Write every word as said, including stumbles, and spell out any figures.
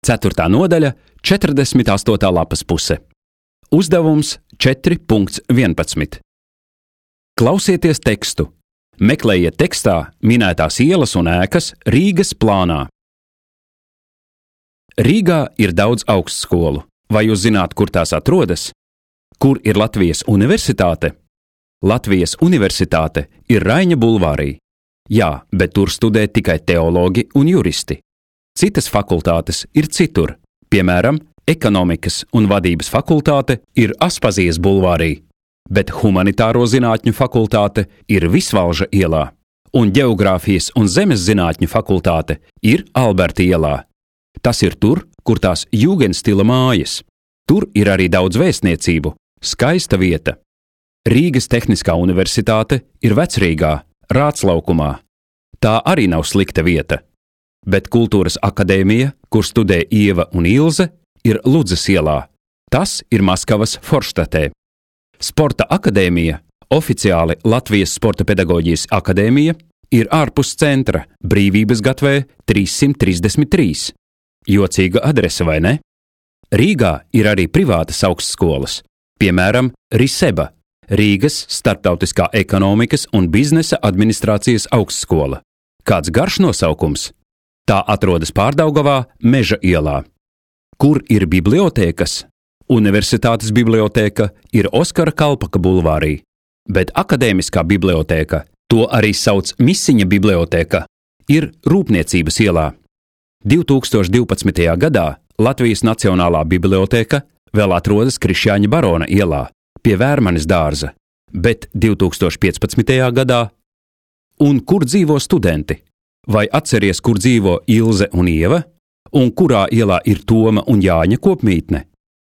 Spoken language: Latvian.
ceturtā nodaļa, četrdesmit astotā lapas puse. Uzdevums četri vienpadsmit. Klausieties tekstu. Meklējiet tekstā minētās ielas un ēkas Rīgas plānā. Rīgā ir daudz augstskolu. Vai jūs zināt, kur tās atrodas? Kur ir Latvijas universitāte? Latvijas universitāte ir Raiņa bulvārī. Jā, bet tur studē tikai teologi un juristi. Citas fakultātes ir citur. Piemēram, ekonomikas un vadības fakultāte ir Aspazijas bulvārī, bet humanitāro zinātņu fakultāte ir Visvalža ielā, un ģeogrāfijas un zemes zinātņu fakultāte ir Alberta ielā. Tas ir tur, kur tās jūgenstila mājas. Tur ir arī daudz vēstniecību, skaista vieta. Rīgas Tehniskā universitāte ir Vecrīgā, Rātslaukumā. Tā arī nav slikta vieta. Bet Kultūras akadēmija, kur studē Ieva un Ilze, ir Ludzas ielā. Tas ir Maskavas Forštatē. Sporta akadēmija, oficiāli Latvijas Sporta pedagoģijas akadēmija, ir ārpus centra Brīvības gatvē trīssimt trīsdesmit trīs. Jocīga adrese, vai ne? Rīgā ir arī privātas augstskolas, piemēram, Riseba, Rīgas Starptautiskā ekonomikas un biznesa administrācijas augstskola. Kāds garš nosaukums? Tā atrodas Pārdaugavā, Meža ielā. Kur ir bibliotēkas? Universitātes bibliotēka ir Oskara Kalpaka bulvārī, bet akadēmiskā bibliotēka, to arī sauc Misiņa bibliotēka, ir Rūpniecības ielā. divi tūkstoši divpadsmitajā gadā Latvijas Nacionālā bibliotēka vēl atrodas Krišjāņa barona ielā, pie Vērmanes dārza, bet divi tūkstoši piecpadsmitajā gadā. Un kur dzīvo studenti? Vai atceries, kur dzīvo Ilze un Ieva? Un kurā ielā ir Toma un Jāņa kopmītne?